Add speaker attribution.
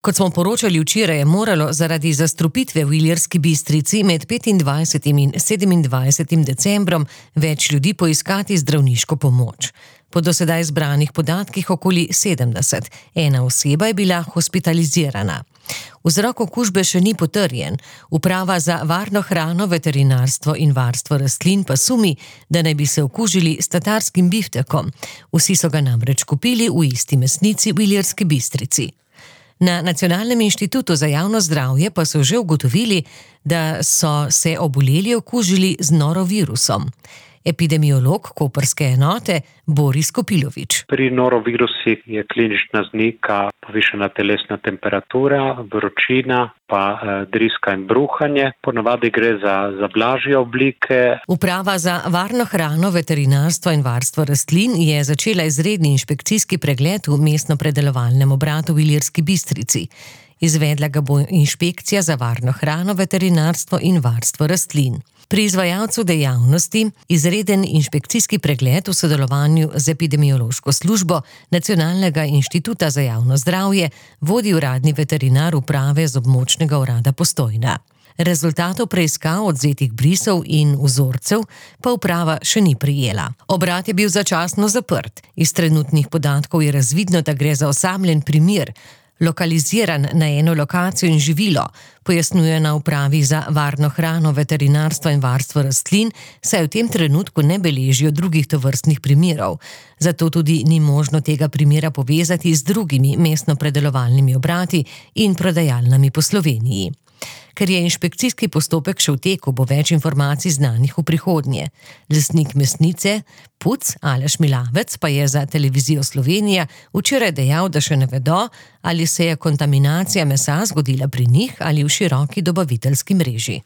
Speaker 1: Kot smo poročali včeraj, je moralo zaradi zastrupitve v Ilirski Bistrici med 25. in 27. decembrom več ljudi poiskati zdravniško pomoč. Po do sedaj zbranih podatkih okoli 70. Ena oseba je bila hospitalizirana. Vzrok okužbe še ni potrjen. Uprava za varno hrano, veterinarstvo in varstvo rastlin pa sumi, da naj bi se okužili s tatarskim biftekom. Vsi so ga namreč kupili v isti mesnici v Ilirski Bistrici. Na Nacionalnem inštitutu za javno zdravje pa so že ugotovili, da so se oboleli okužili z norovirusom. Epidemiolog koprske enote Boris Kopilovič.
Speaker 2: Pri norovirusih je klinična znaka povišana telesna temperatura, vročina, pa driska in bruhanje. Ponavadi gre za blažje oblike.
Speaker 1: Uprava za varno hrano, veterinarstvo in varstvo rastlin je začela izredni inšpekcijski pregled v mestno-predelovalnem obratu v Ilirski Bistrici. Izvedla ga bo inšpekcija za varno hrano, veterinarstvo in varstvo rastlin. Pri izvajalcu dejavnosti izreden inšpekcijski pregled v sodelovanju z epidemiološko službo Nacionalnega inštituta za javno zdravje vodi uradni veterinar uprave z območnega urada Postojna. Rezultatov preiskav odvzetih brisov in vzorcev pa uprava še ni prejela. Obrat je bil začasno zaprt. Iz trenutnih podatkov je razvidno, da gre za osamljen primer, lokaliziran na eno lokacijo in živilo, pojasnjuje na upravi za varno hrano, veterinarstvo in varstvo rastlin, saj v tem trenutku ne beležijo drugih tovrstnih primerov. Zato tudi ni možno tega primera povezati z drugimi mestno-predelovalnimi obrati in prodajalnami po Sloveniji. Ker je inšpekcijski postopek še v teku, bo več informacij znanih v prihodnje. Lastnik mesnice, Puc Aleš Milavec, pa je za Televizijo Slovenija včeraj dejal, da še ne vedo, ali se je kontaminacija mesa zgodila pri njih ali v široki dobaviteljski mreži.